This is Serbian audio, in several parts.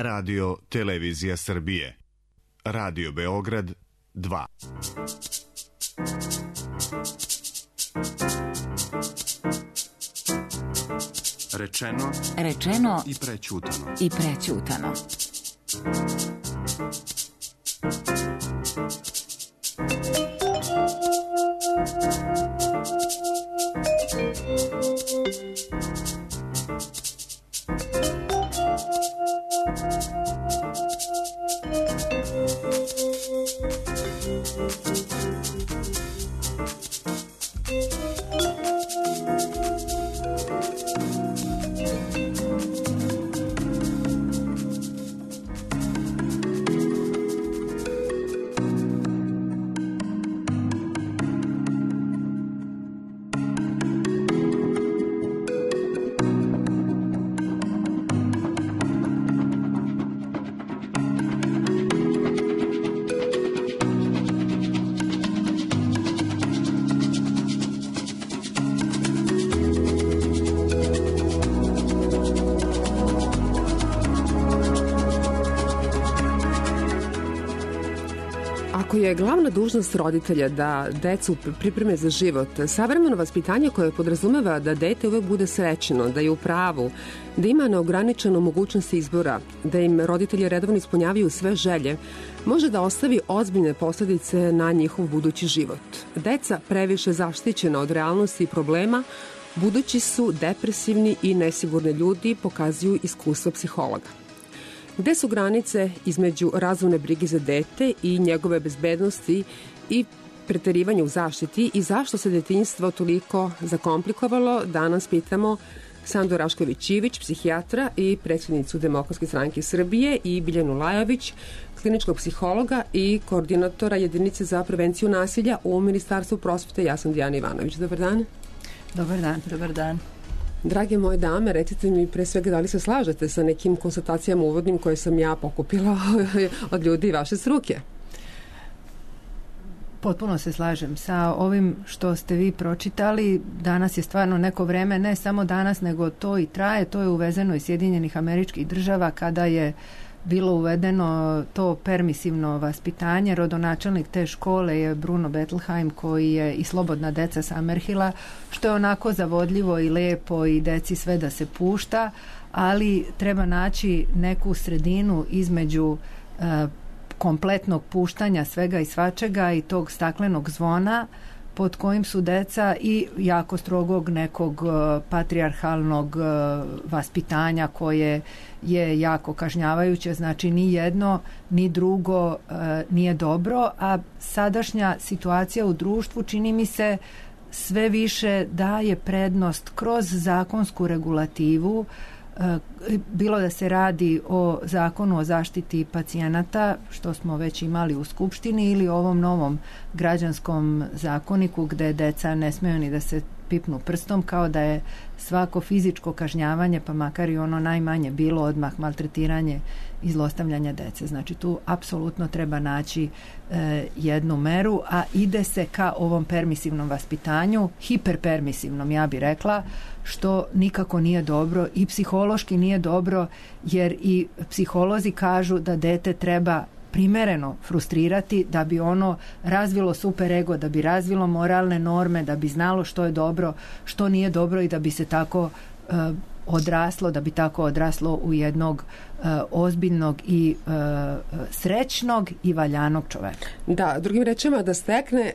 Radio Televizija Srbije. Radio Beograd 2. Rečeno i prećutano. Ako je glavna dužnost roditelja da decu pripreme za život, savremeno vaspitanje koje podrazumeva da dete uvek bude srećno, da je u pravu, da ima neograničenu mogućnost izbora, da im roditelji redovno ispunjavaju sve želje, može da ostavi ozbiljne posledice na njihov budući život. Deca previše zaštićena od realnosti i problema, budući su depresivni i nesigurni ljudi, pokazuju iskustva psihologa. Gde su granice između razumne brige za dete i njegove bezbednosti i preterivanja u zaštiti i zašto se detinjstvo toliko zakomplikovalo, danas pitamo Sandu Rašković-Ivić, psihijatra i predsjednicu Demokratske stranke Srbije, i Biljanu Lajović, kliničkog psihologa i koordinatora jedinice za prevenciju nasilja u Ministarstvu prosvete. Ja sam Dijana Ivanović. Dobar dan. Dobar dan. Drage moje dame, recite mi pre svega da li se slažete sa nekim konstatacijama uvodnim koje sam ja pokupila od ljudi vaše struke? Potpuno se slažem sa ovim što ste vi pročitali. Danas je stvarno neko vreme, ne samo danas, nego to i traje. To je uvezeno iz Sjedinjenih Američkih Država kada je bilo uvedeno to permisivno vaspitanje. Rodonačelnik te škole je Bruno Bettelheim, koji je i Slobodna deca Summerhilla, što je onako zavodljivo i lepo i deci sve da se pušta, ali treba naći neku sredinu između kompletnog puštanja svega i svačega i tog staklenog zvona pod kojim su deca i jako strogog nekog patrijarhalnog vaspitanja koje je jako kažnjavajuće. Znači ni jedno ni drugo nije dobro, a sadašnja situacija u društvu čini mi se sve više daje prednost kroz zakonsku regulativu, bilo da se radi o zakonu o zaštiti pacijenata, što smo već imali u Skupštini, ili ovom novom građanskom zakoniku gde deca ne smeju ni da se pipnu prstom, kao da je svako fizičko kažnjavanje, pa makar i ono najmanje, bilo odmah maltretiranje i zlostavljanje dece. Znači tu apsolutno treba naći jednu meru, a ide se ka ovom permisivnom vaspitanju, hiperpermisivnom, ja bih rekla, što nikako nije dobro i psihološki nije dobro, jer i psiholozi kažu da dete treba primereno frustrirati da bi ono razvilo superego, da bi razvilo moralne norme, da bi znalo što je dobro, što nije dobro i da bi se tako odraslo, da bi tako odraslo u jednog ozbiljnog i srećnog i valjanog čoveka. Da, drugim rečima da stekne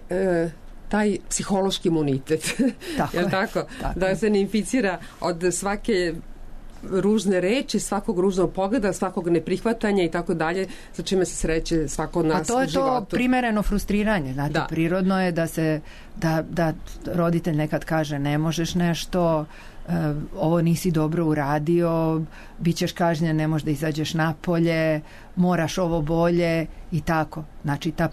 taj psihološki imunitet. Tako je. Tako? Da se ne inficira od svake ružne reči, svakog ružnog pogleda, svakog neprihvatanja i tako dalje, sa čime se sreće svako od nas u životu. A to je to primereno frustriranje. Znate, prirodno je da roditelj nekad kaže ne možeš nešto, ovo nisi dobro uradio, bit ćeš kažnjen, ne možeš da izađeš napolje, moraš ovo bolje i tako. Znači ta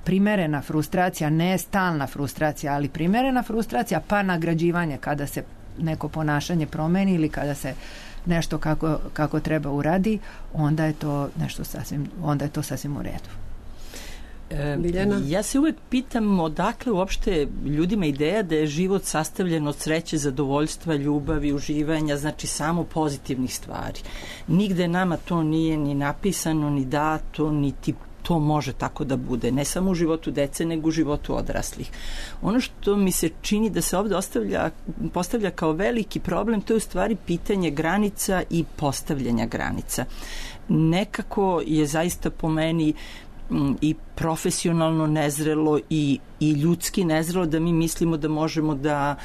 primerena frustracija, ne stalna frustracija, ali primerena frustracija, pa nagrađivanje kada se neko ponašanje promeni ili kada se nešto kako treba uradi, onda je to nešto sasvim u redu. Biljana? Ja se uvek pitam odakle uopšte ljudima ideja da je život sastavljen od sreće, zadovoljstva, ljubavi, uživanja, znači samo pozitivnih stvari. Nigde nama to nije ni napisano, ni dato, niti to može tako da bude, ne samo u životu dece, nego u životu odraslih. Ono što mi se čini da se ovde postavlja kao veliki problem, to je u stvari pitanje granica i postavljanja granica. Nekako je zaista po meni i profesionalno nezrelo i ljudski nezrelo da mi mislimo da možemo da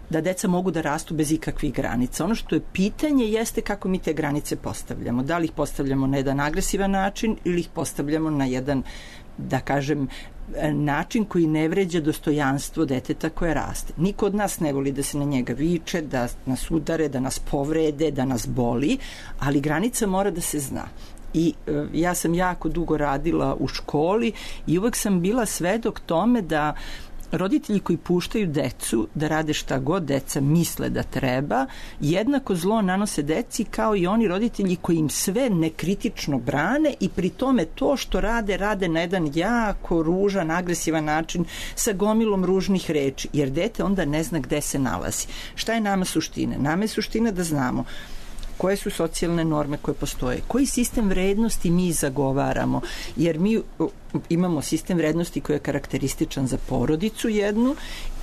deca mogu da rastu bez ikakvih granica. Ono što je pitanje jeste kako mi te granice postavljamo. Da li ih postavljamo na jedan agresivan način ili ih postavljamo na jedan, da kažem, način koji ne vređa dostojanstvo deteta koje raste. Niko od nas ne voli da se na njega viče, da nas udare, da nas povrede, da nas boli, ali granica mora da se zna. I ja sam jako dugo radila u školi i uvek sam bila svedok tome da roditelji koji puštaju decu da rade šta god deca misle da treba, jednako zlo nanose deci kao i oni roditelji koji im sve nekritično brane i pri tome to što rade na jedan jako ružan, agresivan način sa gomilom ružnih reči, jer dete onda ne zna gde se nalazi. Šta je nama suština? Nama je suština da znamo koje su socijalne norme koje postoje, koji sistem vrednosti mi zagovaramo, jer mi imamo sistem vrednosti koji je karakterističan za porodicu jednu,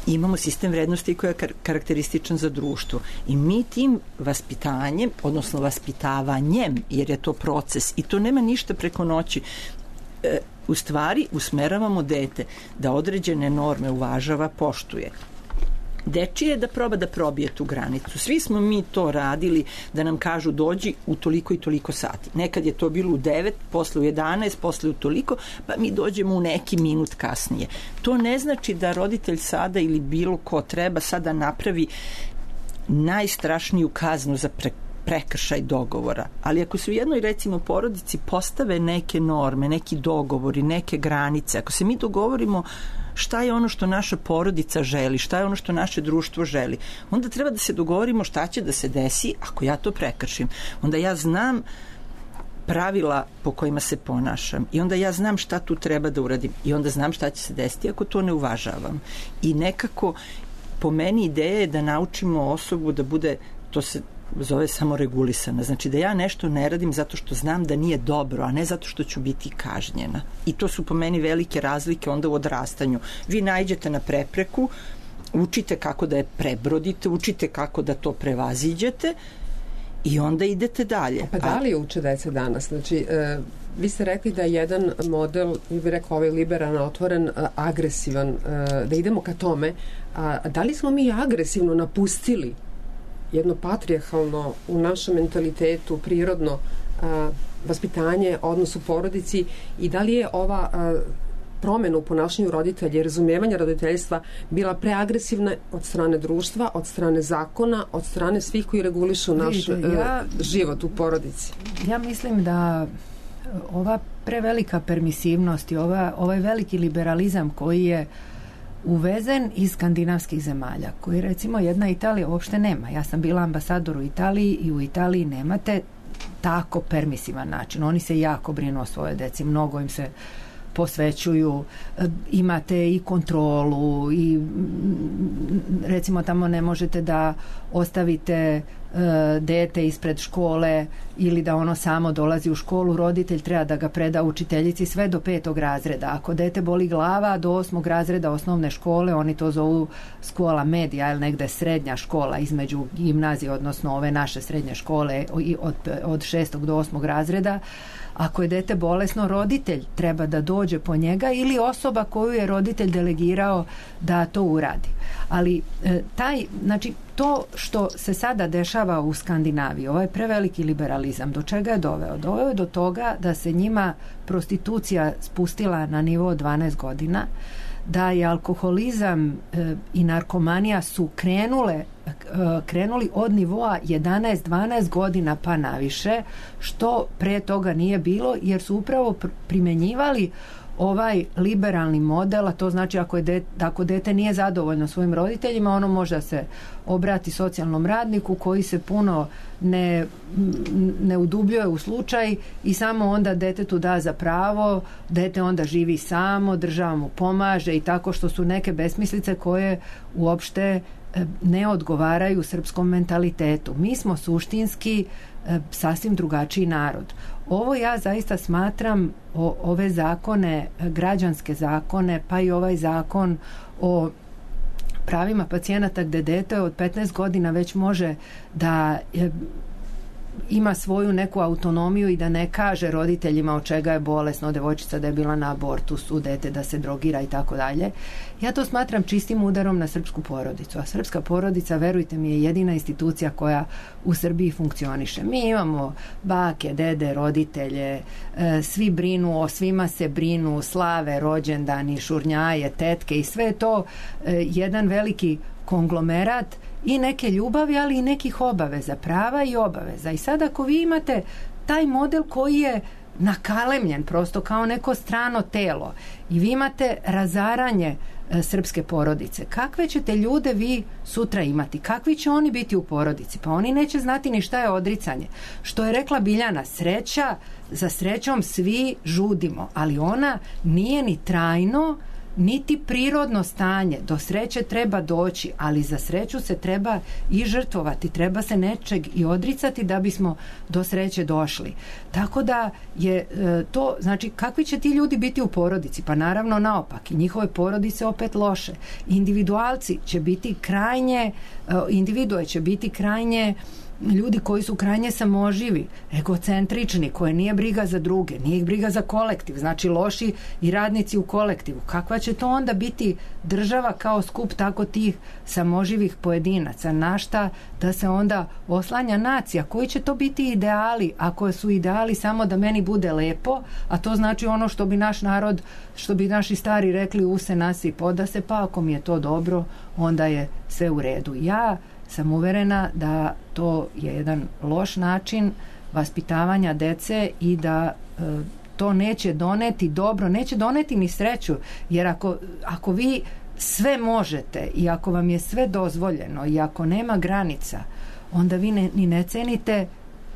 imamo sistem vrednosti koji je karakterističan za društvo. I mi tim vaspitanjem, odnosno vaspitavanjem, jer je to proces i to nema ništa preko noći, u stvari usmeravamo dete da određene norme uvažava, poštuje. Dečije je da proba da probije tu granicu. Svi smo mi to radili da nam kažu dođi u toliko i toliko sati. Nekad je to bilo u 9, posle u 11, posle u toliko, pa mi dođemo u neki minut kasnije. To ne znači da roditelj sada ili bilo ko treba sada napravi najstrašniju kaznu za prekršaj dogovora. Ali ako se u jednoj, recimo, porodici postave neke norme, neki dogovori, neke granice, ako se mi dogovorimo šta je ono što naša porodica želi, šta je ono što naše društvo želi, onda treba da se dogovorimo šta će da se desi ako ja to prekršim. Onda ja znam pravila po kojima se ponašam i onda ja znam šta tu treba da uradim i onda znam šta će se desiti ako to ne uvažavam. I nekako po meni ideja je da naučimo osobu da bude, to se zove samoregulisana. Znači da ja nešto ne radim zato što znam da nije dobro, a ne zato što ću biti kažnjena. I to su po meni velike razlike onda u odrastanju. Vi naiđete na prepreku, učite kako da je prebrodite, učite kako da to prevaziđete i onda idete dalje. Pa da li uče deca danas? Znači, vi ste rekli da je jedan model, vi bi rekao ovaj liberalan, otvoren, agresivan, da idemo ka tome. Da li smo mi agresivno napustili jedno patrijarhalno u našem mentalitetu, prirodno vaspitanje, odnos u porodici i da li je ova promena u ponašanju roditelja i razumijevanja roditeljstva bila preagresivna od strane društva, od strane zakona, od strane svih koji regulišu naš život u porodici? Ja mislim da ova prevelika permisivnost i ovaj veliki liberalizam koji je uvezen iz skandinavskih zemalja, koji recimo jedna Italija uopšte nema. Ja sam bila ambasador u Italiji i u Italiji nemate tako permisivan način. Oni se jako brinu o svoje deci, mnogo im se posvećuju, imate i kontrolu i recimo tamo ne možete da ostavite dete ispred škole ili da ono samo dolazi u školu, roditelj treba da ga preda učiteljici sve do 5. razreda. Ako dete boli glava do 8. razreda osnovne škole, oni to zovu škola medija ili negde srednja škola između gimnazije, odnosno ove naše srednje škole od 6. do 8. razreda. Ako je dete bolesno, roditelj treba da dođe po njega ili osoba koju je roditelj delegirao da to uradi. Ali znači to što se sada dešava u Skandinaviji, ovaj preveliki liberalizam, do čega je doveo? Doveo je do toga da se njima prostitucija spustila na nivo 12 godina, da je alkoholizam i narkomanija su krenuli od nivoa 11-12 godina pa naviše, što pre toga nije bilo, jer su upravo primenjivali ovaj liberalni model, a to znači ako dete nije zadovoljno svojim roditeljima, ono može da se obrati socijalnom radniku koji se puno ne udubljuje u slučaj i samo onda detetu da za pravo, dete onda živi samo, država mu pomaže i tako, što su neke besmislice koje uopšte ne odgovaraju srpskom mentalitetu. Mi smo suštinski sasvim drugačiji narod. Ovo ja zaista smatram, ove zakone, građanske zakone, pa i ovaj zakon o pravima pacijenata gde dete od 15 godina već može da ima svoju neku autonomiju i da ne kaže roditeljima od čega je bolesno, devojčica da je bila na abortusu, dete da se drogira i tako dalje. Ja to smatram čistim udarom na srpsku porodicu. A srpska porodica, verujte mi, je jedina institucija koja u Srbiji funkcioniše. Mi imamo bake, dede, roditelje, svi brinu, o svima se brinu, slave, rođendani, šurnjaje, tetke i sve to jedan veliki konglomerat i neke ljubavi, ali i nekih obaveza, prava i obaveza. I sad ako vi imate taj model koji je nakalemljen prosto kao neko strano telo i vi imate razaranje srpske porodice, kakve ćete ljude vi sutra imati? Kakvi će oni biti u porodici? Pa oni neće znati ni šta je odricanje. Što je rekla Biljana, sreća, za srećom svi žudimo, ali ona nije ni trajno niti prirodno stanje. Do sreće treba doći, ali za sreću se treba i žrtvovati, treba se nečeg i odricati da bismo do sreće došli. Tako da je to, znači, kakvi će ti ljudi biti u porodici? Pa naravno naopak, i njihove porodice opet loše. Individualci će biti krajnje, individue će biti krajnje ljudi koji su krajnje samoživi, egocentrični, koje nije briga za druge, nije ih briga za kolektiv, znači loši i radnici u kolektivu. Kakva će to onda biti država kao skup tako tih samoživih pojedinaca? Na šta da se onda oslanja nacija? Koji će to biti ideali? Ako su ideali samo da meni bude lepo, a to znači ono što bi naš narod, što bi naši stari rekli, use nasi poda se, pa ako mi je to dobro, onda je sve u redu. Ja sam uverena da to je jedan loš način vaspitavanja dece i da to neće doneti dobro, neće doneti ni sreću, jer ako vi sve možete i ako vam je sve dozvoljeno i ako nema granica, onda vi ni ne cenite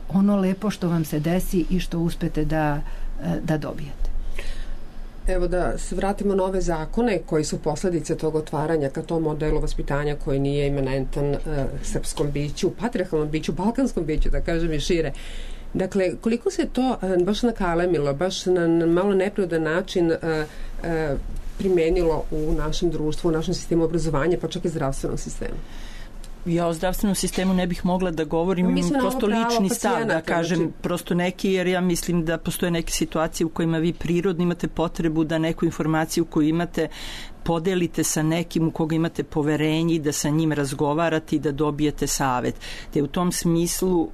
ono lepo što vam se desi i što uspete da dobijete. Evo da se vratimo na ove zakone koji su posledice tog otvaranja ka tom modelu vaspitanja koji nije imanentan srpskom biću, patrijarhalnom biću, balkanskom biću, da kažem i šire. Dakle, koliko se to baš nakalemilo, baš na malo neprirodan način primenilo u našem društvu, u našem sistemu obrazovanja, pa čak i zdravstvenom sistemu? Ja o zdravstvenom sistemu ne bih mogla da govorim, imam prosto lični stav da kažem, znači, prosto neki, jer ja mislim da postoje neke situacije u kojima vi prirodno imate potrebu da neku informaciju koju imate podelite sa nekim u koga imate poverenje i da sa njim razgovarate i da dobijete savet. Te u tom smislu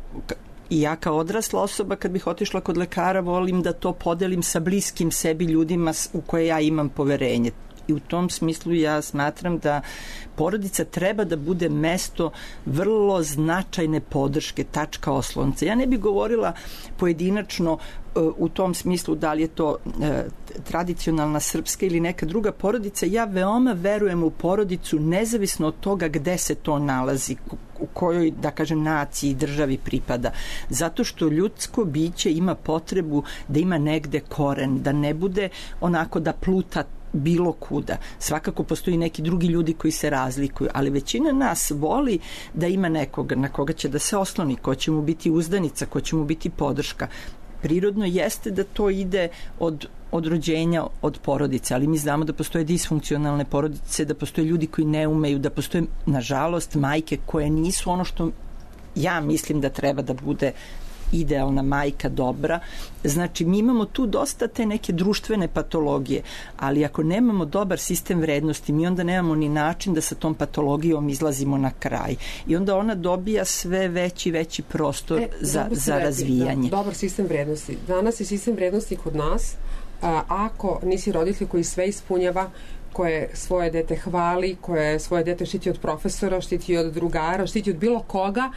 i ja kao odrasla osoba kad bih otišla kod lekara volim da to podelim sa bliskim sebi ljudima u koje ja imam poverenje. I u tom smislu ja smatram da porodica treba da bude mesto vrlo značajne podrške, tačka oslonca. Ja ne bih govorila pojedinačno u tom smislu da li je to tradicionalna srpska ili neka druga porodica. Ja veoma verujem u porodicu nezavisno od toga gde se to nalazi, u kojoj, da kažem, naciji, državi pripada. Zato što ljudsko biće ima potrebu da ima negde koren, da ne bude onako da pluta bilo kuda. Svakako postoji neki drugi ljudi koji se razlikuju, ali većina nas voli da ima nekoga na koga će da se osloni, ko će mu biti uzdanica, ko će mu biti podrška. Prirodno jeste da to ide od rođenja, od porodice, ali mi znamo da postoje disfunkcionalne porodice, da postoje ljudi koji ne umeju, da postoje, nažalost, majke koje nisu ono što ja mislim da treba da bude idealna majka, dobra. Znači, mi imamo tu dosta te neke društvene patologije, ali ako nemamo dobar sistem vrednosti, mi onda nemamo ni način da sa tom patologijom izlazimo na kraj. I onda ona dobija sve veći prostor za razvijanje. Dobar sistem vrednosti. Danas je sistem vrednosti kod nas, ako nisi roditelj koji sve ispunjava, koje svoje dete hvali, koje svoje dete štiti od profesora, štiti od drugara, štiti od bilo koga,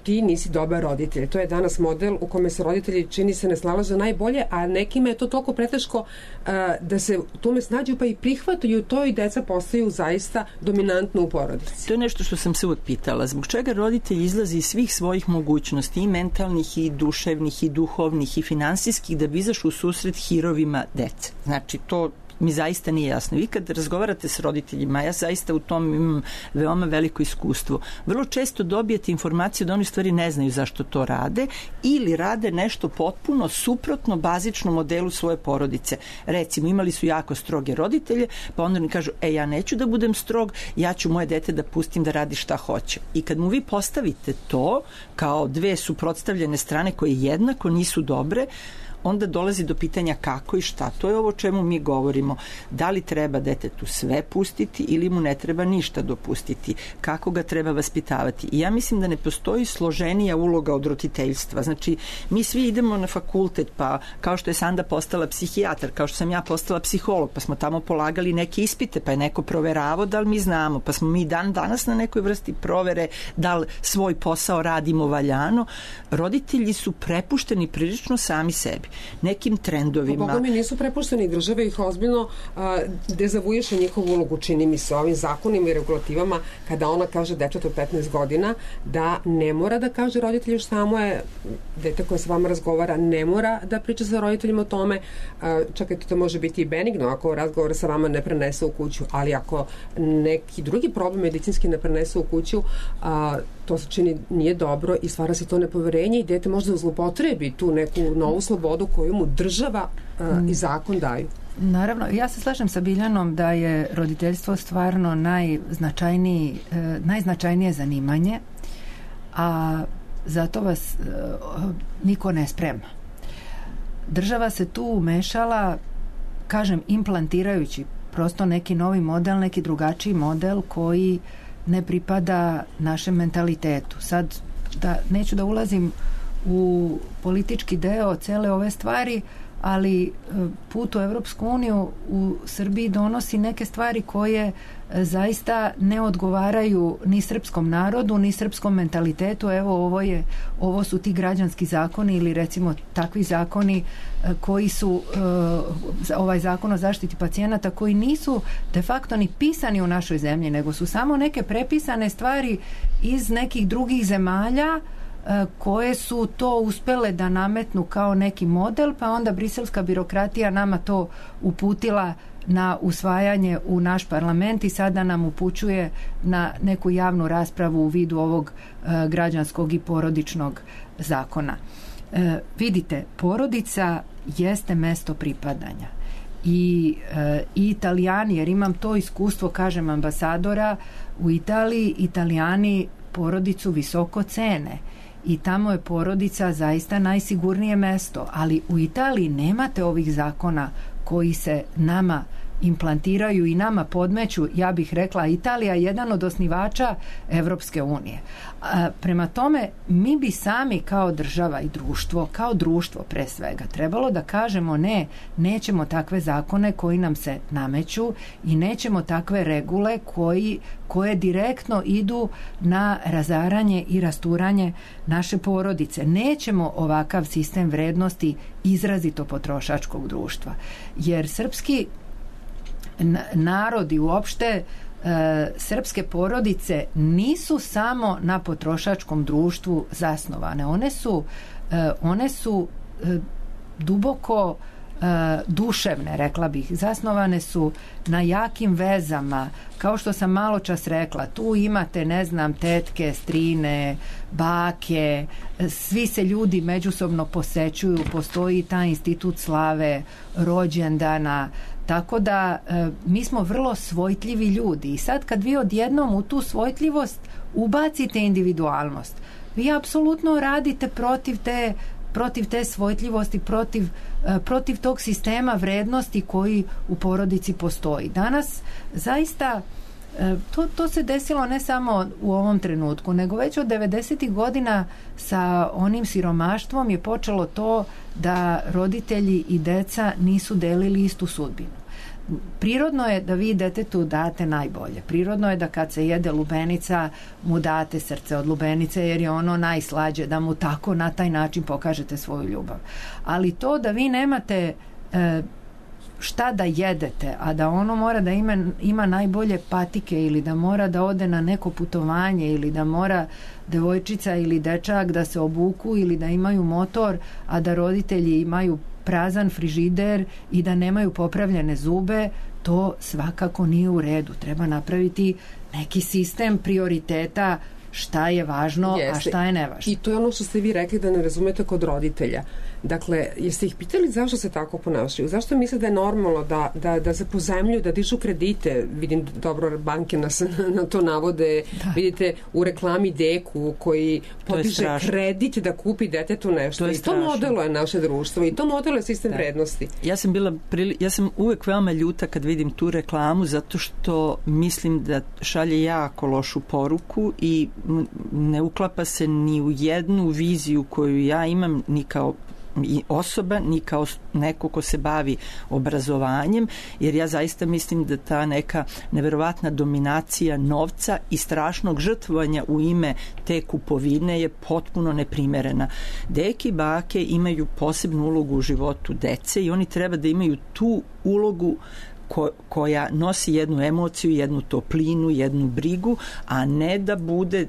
ti nisi dobar roditelj. To je danas model u kome se roditelji čini se ne snalaze najbolje, a nekima je to toliko preteško da se tome snađu pa i prihvataju to i deca postaju zaista dominantno u porodici. To je nešto što sam se uvijek pitala. Zbog čega roditelj izlazi iz svih svojih mogućnosti, i mentalnih, i duševnih, i duhovnih, i finansijskih, da bi izašao u susret hirovima dece? Znači, to mi zaista nije jasno. Vi kad razgovarate s roditeljima, ja zaista u tom imam veoma veliko iskustvo, vrlo često dobijete informaciju da oni stvari ne znaju zašto to rade ili rade nešto potpuno suprotno bazičnom modelu svoje porodice. Recimo, imali su jako stroge roditelje, pa onda oni kažu, ja neću da budem strog, ja ću moje dete da pustim da radi šta hoće. I kad mu vi postavite to kao dve suprotstavljene strane koje jednako nisu dobre, onda dolazi do pitanja kako i šta. To je ovo čemu mi govorimo. Da li treba detetu sve pustiti ili mu ne treba ništa dopustiti? Kako ga treba vaspitavati? I ja mislim da ne postoji složenija uloga od roditeljstva. Znači, mi svi idemo na fakultet, pa kao što je Sanda postala psihijatar, kao što sam ja postala psiholog, pa smo tamo polagali neke ispite, pa je neko proveravao da li mi znamo, pa smo mi danas na nekoj vrsti provere da li svoj posao radimo valjano. Roditelji su prepušteni prilično sami sebi, nekim trendovima. Pa Boga mi nisu prepušteni, država ih ozbiljno dezavuješe njihovu ulogu, čini mi se, ovim zakonima i regulativama, kada ona kaže dečetu 15 godina da ne mora da kaže roditelju šta mu je, dete koje sa vama razgovara ne mora da priča sa roditeljima o tome, čekajte, to može biti i benigno ako razgovor sa vama ne prenese u kuću, ali ako neki drugi problem medicinski ne prenese u kuću, to se čini nije dobro i stvara se to nepoverenje i dete možda zlopotrebi tu neku novu slobodu koju mu država i zakon daju. Naravno, ja se slažem sa Biljanom da je roditeljstvo stvarno najznačajnije zanimanje, a zato vas niko ne sprema. Država se tu umešala, kažem, implantirajući prosto neki novi model, neki drugačiji model koji ne pripada našem mentalitetu. Sad, neću da ulazim u politički deo cele ove stvari, ali put u Evropsku uniju u Srbiji donosi neke stvari koje zaista ne odgovaraju ni srpskom narodu, ni srpskom mentalitetu. Evo, ovo su ti građanski zakoni ili recimo takvi zakoni koji su ovaj zakon o zaštiti pacijenata koji nisu de facto ni pisani u našoj zemlji, nego su samo neke prepisane stvari iz nekih drugih zemalja koje su to uspele da nametnu kao neki model, pa onda briselska birokratija nama to uputila na usvajanje u naš parlament i sada nam upućuje na neku javnu raspravu u vidu ovog građanskog i porodičnog zakona. Vidite, porodica jeste mesto pripadanja i Italijani, jer imam to iskustvo, kažem, ambasadora u Italiji, Italijani porodicu visoko cene i tamo je porodica zaista najsigurnije mesto, ali u Italiji nemate ovih zakona koji se nama implantiraju i nama podmeću. Ja bih rekla, Italija je jedan od osnivača Evropske unije. Prema tome, mi bi sami kao država i društvo, kao društvo pre svega, trebalo da kažemo ne, nećemo takve zakone koji nam se nameću i nećemo takve regule koje direktno idu na razaranje i rasturanje naše porodice. Nećemo ovakav sistem vrednosti izrazito potrošačkog društva. Jer srpski narodi uopšte srpske porodice nisu samo na potrošačkom društvu zasnovane. One su duboko duševne, rekla bih. Zasnovane su na jakim vezama. Kao što sam malo čas rekla, tu imate, ne znam, tetke, strine, bake, svi se ljudi međusobno posećuju, postoji taj institut slave, rođendana, tako da mi smo vrlo svojtljivi ljudi i sad kad vi odjednom u tu svojtljivost ubacite individualnost, vi apsolutno radite protiv te svojtljivosti, protiv tog sistema vrednosti koji u porodici postoji. Danas zaista to se desilo ne samo u ovom trenutku, nego već od 90. godina sa onim siromaštvom je počelo to da roditelji i deca nisu delili istu sudbinu. prirodno je da vi detetu date najbolje. Prirodno je da kad se jede lubenica mu date srce od lubenice jer je ono najslađe, da mu tako na taj način pokažete svoju ljubav. Ali to da vi nemate šta da jedete, a da ono mora da ima najbolje patike ili da mora da ode na neko putovanje ili da mora devojčica ili dečak da se obuku ili da imaju motor, a da roditelji imaju prazan frižider i da nemaju popravljene zube, to svakako nije u redu. Treba napraviti neki sistem prioriteta šta je važno, a šta je nevažno. I to je ono što ste vi rekli da ne razumete kod roditelja. Dakle, jeste ih pitali zašto se tako ponašaju? Zašto misle da je normalno da se pozajmljuju, da dižu kredite? Vidim dobro, banke nas na to navode. Da. Vidite u reklami Deku koji podiže kredit da kupi detetu nešto. I to modeluje naše društvo i to modeluje sistem vrednosti. Ja sam uvek veoma ljuta kad vidim tu reklamu zato što mislim da šalje jako lošu poruku i ne uklapa se ni u jednu viziju koju ja imam ni kao i osoba, ni kao neko ko se bavi obrazovanjem, jer ja zaista mislim da ta neka neverovatna dominacija novca i strašnog žrtvovanja u ime te kupovine je potpuno neprimerena. Deke i bake imaju posebnu ulogu u životu dece i oni treba da imaju tu ulogu koja nosi jednu emociju, jednu toplinu, jednu brigu, a ne da bude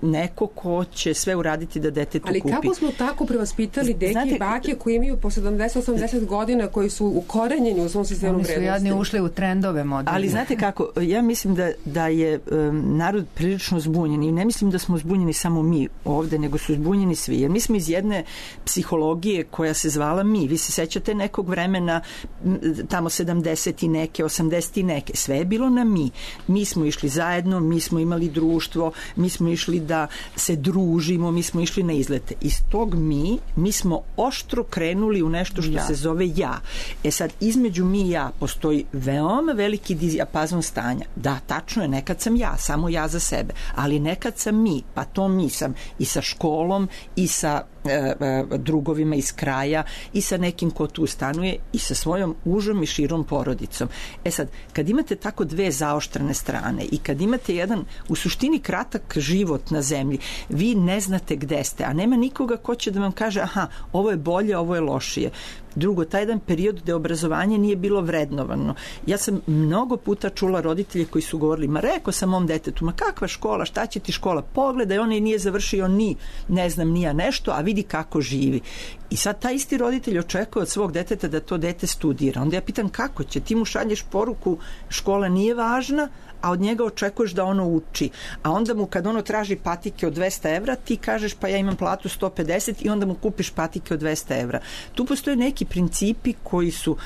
neko ko će sve uraditi da detetu kupi. Ali kako smo tako prevaspitali deke i bake koji imaju po 70-80 godina, koji su ukorenjeni u svom sistemu vrednosti? Oni su jadni ušli u trendove moderne. Ali znate kako, ja mislim da je narod prilično zbunjen i ne mislim da smo zbunjeni samo mi ovde, nego su zbunjeni svi. Jer mi smo iz jedne psihologije koja se zvala mi. Vi se sećate nekog vremena tamo 70 i neke, 80 i neke, sve je bilo na mi. Mi smo išli zajedno, mi smo imali društvo, mi smo išli da se družimo, mi smo išli na izlete. Iz tog mi smo oštro krenuli u nešto što se zove ja. E sad, između mi i ja postoji veoma veliki dijapazon stanja. Da, tačno je, nekad sam ja, samo ja za sebe, ali nekad sam mi, pa to mi sam i sa školom i sa drugovima iz kraja i sa nekim ko tu stanuje i sa svojom užom i širom porodicom. E sad, kad imate tako dve zaoštrene strane i kad imate jedan u suštini kratak život na zemlji, vi ne znate gde ste, a nema nikoga ko će da vam kaže aha, ovo je bolje, ovo je lošije. Drugo, taj jedan period gde obrazovanje nije bilo vrednovano. Ja sam mnogo puta čula roditelje koji su govorili, ma rekao sam mom detetu, ma kakva škola, šta će ti škola, pogledaj, on nije završio ni, ne znam, nija nešto, a vidi kako živi. I sad taj isti roditelj očekuje od svog deteta da to dete studira. Onda ja pitam kako će, ti mu šalješ poruku, škola nije važna, a od njega očekuješ da ono uči. A onda mu kad ono traži patike od 200 evra, ti kažeš pa ja imam platu 150 i onda mu kupiš patike od 200 evra. Tu postoje neki principi koji su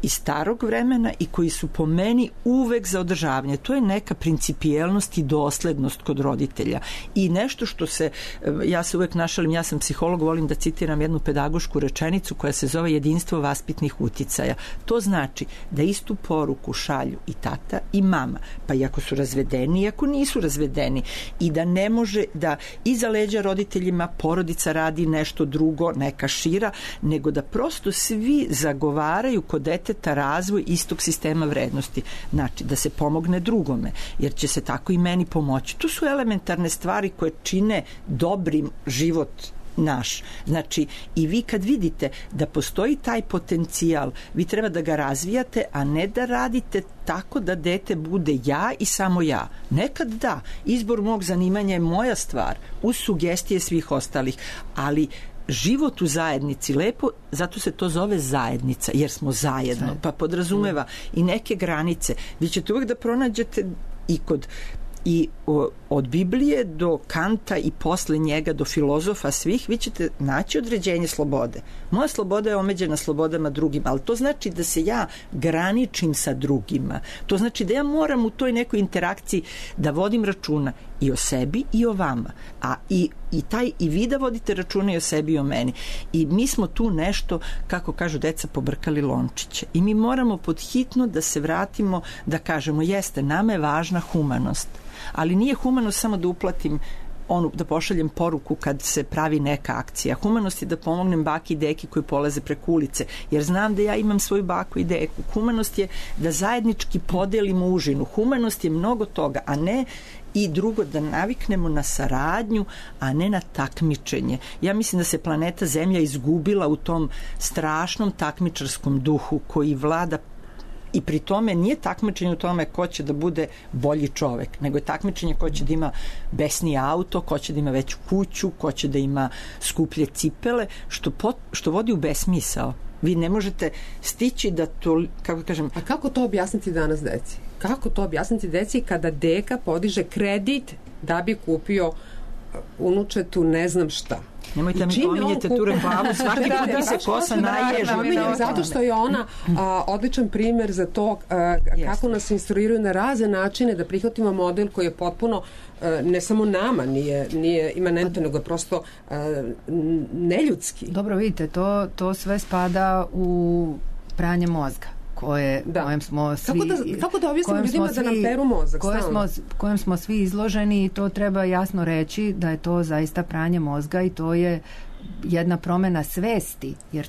iz starog vremena i koji su po meni uvek za održavanje. To je neka principijelnost i doslednost kod roditelja. I nešto što se, ja se uvek našalim, ja sam psiholog, volim da citiram jednu pedagošku rečenicu koja se zove jedinstvo vaspitnih uticaja. To znači da istu poruku šalju i tata i mama, pa i ako su razvedeni i ako nisu razvedeni, i da ne može da iza leđa roditeljima porodica radi nešto drugo, neka šira, nego da prosto svi zagovaraju kod deteta razvoj istog sistema vrednosti. Znači, da se pomogne drugome, jer će se tako i meni pomoći. To su elementarne stvari koje čine dobrim život naš. Znači, i vi kad vidite da postoji taj potencijal, vi treba da ga razvijate, a ne da radite tako da dete bude ja i samo ja. Nekad da, izbor mog zanimanja je moja stvar, uz sugestije svih ostalih, ali život u zajednici lepo, zato se to zove zajednica, jer smo zajedno, pa podrazumeva i neke granice. Vi ćete uvek da pronađete i od Biblije do Kanta i posle njega do filozofa svih, vi ćete naći određenje slobode. Moja sloboda je omeđena slobodama drugima, ali to znači da se ja graničim sa drugima. To znači da ja moram u toj nekoj interakciji da vodim računa i o sebi i o vama. A i vi da vodite računa i o sebi i o meni. I mi smo tu nešto, kako kažu deca, pobrkali lončiće. I mi moramo podhitno da se vratimo, da kažemo, jeste, nama je važna humanost. Ali nije humanost samo da uplatim da pošaljem poruku kad se pravi neka akcija. Humanost je da pomognem baki i deki koji polaze preko ulice, jer znam da ja imam svoju baku i deku. Humanost je da zajednički podelimo užinu. Humanost je mnogo toga, a ne i drugo, da naviknemo na saradnju, a ne na takmičenje. Ja mislim da se planeta Zemlja izgubila u tom strašnom takmičarskom duhu koji vlada, i pri tome nije takmičenje u tome ko će da bude bolji čovek, nego je takmičenje ko će da ima besniji auto, ko će da ima veću kuću, ko će da ima skuplje cipele, što vodi u besmisao. Vi ne možete stići da to, kako kažem... A kako to objasniti danas deci? Kako to objasniti deci kada deka podiže kredit da bi kupio unučetu ne znam šta? Nemojte mi pominjete tu reklamu, svaki put mi se kosa naježi. Zato što je ona odličan primjer za to kako nas instruiraju na razne načine da prihvatimo model koji je potpuno ne samo nama nije imanentno, nego je prosto neljudski. Dobro, vidite, to sve spada u pranje mozga. Kojem smo svi... Kako da objasnimo ljudima da nam peru mozak? Kojem smo svi izloženi, i to treba jasno reći da je to zaista pranje mozga i to je jedna promena svesti, jer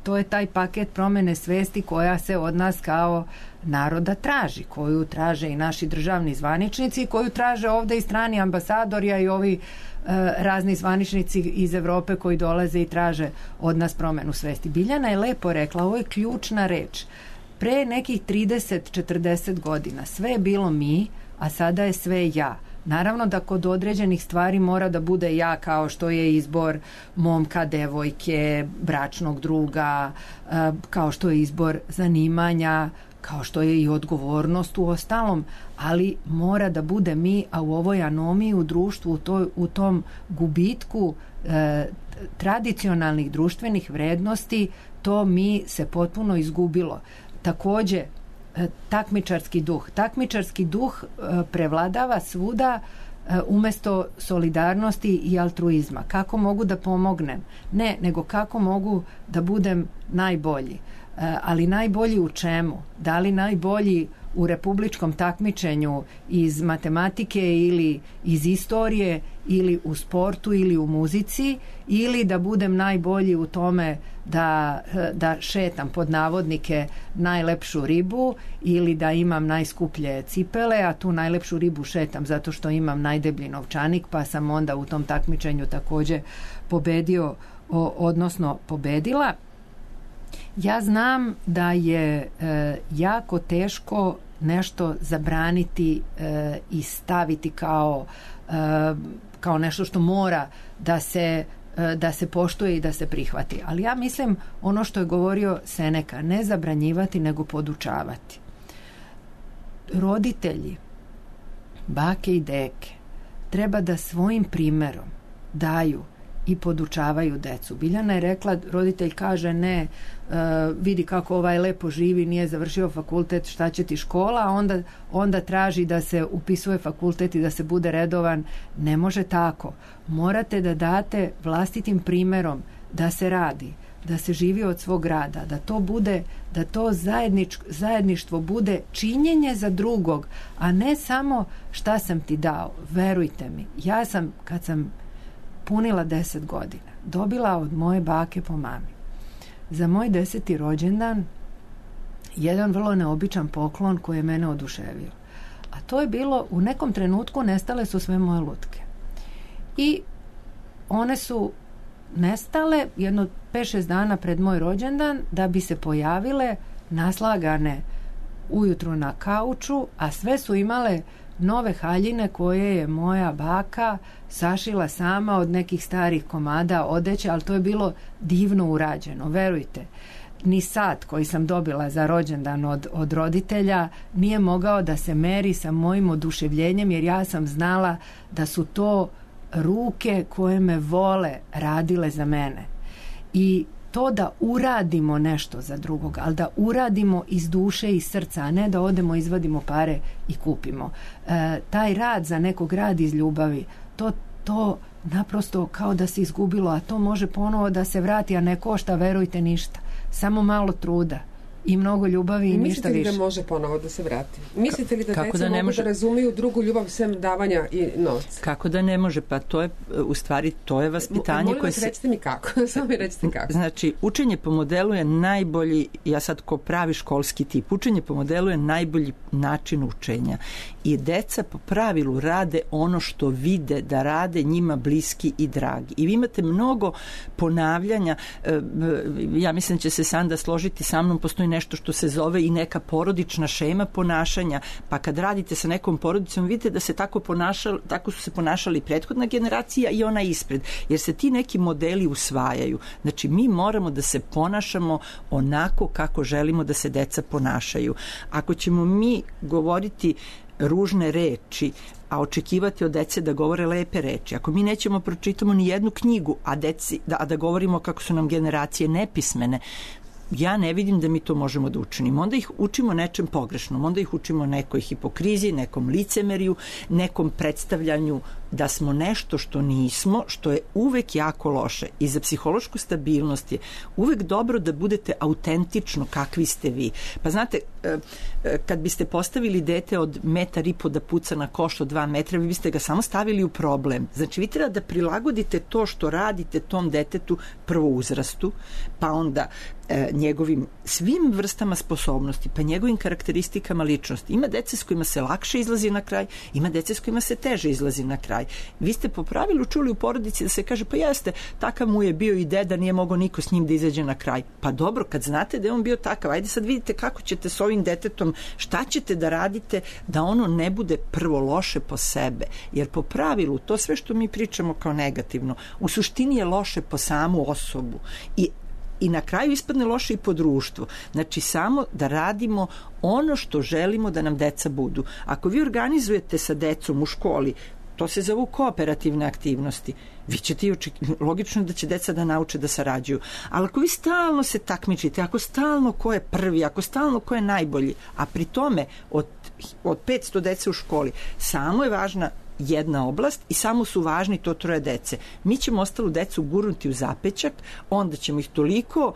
to je taj paket promene svesti koja se od nas kao naroda traži, koju traže i naši državni zvaničnici, koju traže ovde i strani ambasadori, a i ovi razni zvaničnici iz Evrope koji dolaze i traže od nas promenu svesti. Biljana je lepo rekla, ovo je ključna reč. Pre nekih 30-40 godina sve je bilo mi, a sada je sve ja. Naravno da kod određenih stvari mora da bude ja, kao što je izbor momka, devojke, bračnog druga, kao što je izbor zanimanja, kao što je i odgovornost u ostalom, ali mora da bude mi, a u ovoj anomiji u društvu, u tom gubitku tradicionalnih društvenih vrednosti, to mi se potpuno izgubilo. Takođe, takmičarski duh prevladava svuda umesto solidarnosti i altruizma. Kako mogu da pomognem? Ne, nego kako mogu da budem najbolji. Ali najbolji u čemu? Da li najbolji u republičkom takmičenju iz matematike ili iz istorije ili u sportu ili u muzici, ili da budem najbolji u tome da šetam pod navodnike najlepšu ribu ili da imam najskuplje cipele, a tu najlepšu ribu šetam zato što imam najdeblji novčanik, pa sam onda u tom takmičenju takođe pobedio, odnosno pobedila. Ja znam da je jako teško nešto zabraniti i staviti kao nešto što mora da se poštuje i da se prihvati. Ali ja mislim ono što je govorio Seneka, ne zabranjivati nego podučavati. Roditelji, bake i deke, treba da svojim primerom daju i podučavaju decu. Biljana je rekla, roditelj kaže ne, vidi kako ovaj lepo živi, nije završio fakultet, šta će ti škola, a onda traži da se upisuje fakultet i da se bude redovan. Ne može tako. Morate da date vlastitim primerom da se radi, da se živi od svog rada, da to zajedništvo bude činjenje za drugog, a ne samo šta sam ti dao. Verujte mi, ja sam, kad sam punila 10 godina, dobila od moje bake po mami za moj 10. rođendan jedan vrlo neobičan poklon koji je mene oduševio. A to je bilo, u nekom trenutku nestale su sve moje lutke. I one su nestale jedno 5-6 dana pred moj rođendan, da bi se pojavile naslagane ujutru na kauču, a sve su imale nove haljine koje je moja baka sašila sama od nekih starih komada odeće, ali to je bilo divno urađeno, verujte. Ni sat koji sam dobila za rođendan od roditelja nije mogao da se meri sa mojim oduševljenjem, jer ja sam znala da su to ruke koje me vole radile za mene. I to da uradimo nešto za drugog, ali da uradimo iz duše i srca, a ne da odemo, izvadimo pare i kupimo. Taj rad za nekog, rad iz ljubavi, to naprosto kao da se izgubilo, a to može ponovo da se vrati, a ne košta, verujte, ništa. Samo malo truda i mnogo ljubavi i ništa više. Mislite li da može ponovo da se vrati? Mislite li da deca mogu da razumiju drugu ljubav sem davanja i novca? Kako da ne može? Pa to je, u stvari, to je vaspitanje molim koje vas, recite mi kako. Samo mi recite kako. Znači, učenje po modelu je najbolji, ja sad ko pravi školski tip, učenje po modelu je najbolji način učenja. I deca po pravilu rade ono što vide da rade njima bliski i dragi. I vi imate mnogo ponavljanja, ja mislim će se Sanda složiti sa mnom, postoji nešto što se zove i neka porodična šema ponašanja, pa kad radite sa nekom porodicom vidite da se tako su se ponašali prethodna generacija i ona ispred, jer se ti neki modeli usvajaju. Znači mi moramo da se ponašamo onako kako želimo da se deca ponašaju. Ako ćemo mi govoriti ružne reči, a očekivati od dece da govore lepe reči. Ako mi nećemo pročitamo ni jednu knjigu, a da govorimo kako su nam generacije nepismene, ja ne vidim da mi to možemo da učinimo. Onda ih učimo nečem pogrešnom, onda ih učimo nekoj hipokriziji, nekom licemeriju, nekom predstavljanju da smo nešto što nismo, što je uvek jako loše. I za psihološku stabilnost je uvek dobro da budete autentično kakvi ste vi. Pa znate, kad biste postavili dete od 1,5 metra da puca na koš od 2 metra, vi biste ga samo stavili u problem. Znači, vi treba da prilagodite to što radite tom detetu prvo uzrastu, pa onda njegovim svim vrstama sposobnosti, pa njegovim karakteristikama ličnosti. Ima dece s kojima se lakše izlazi na kraj, ima dece s kojima se teže izlazi na kraj. Vi ste po pravilu čuli u porodici da se kaže, pa jeste, takav mu je bio i deda, nije mogao niko s njim da izađe na kraj. Pa dobro, kad znate da je on bio takav, ajde sad vidite kako ćete s ovim detetom, šta ćete da radite da ono ne bude prvo loše po sebe. Jer po pravilu, to sve što mi pričamo kao negativno, u suštini je loše po samu osobu. I na kraju ispadne loše i po društvu. Znači, samo da radimo ono što želimo da nam deca budu. Ako vi organizujete sa decom u školi, to se zovu kooperativne aktivnosti, vi ćete logično da će deca da nauče da sarađuju. Ali ako vi stalno se takmičite, ako stalno ko je prvi, ako stalno ko je najbolji, a pri tome od 500 dece u školi samo je važna jedna oblast i samo su važni to 3 dece. Mi ćemo ostalu decu gurnuti u zapećak, onda ćemo ih toliko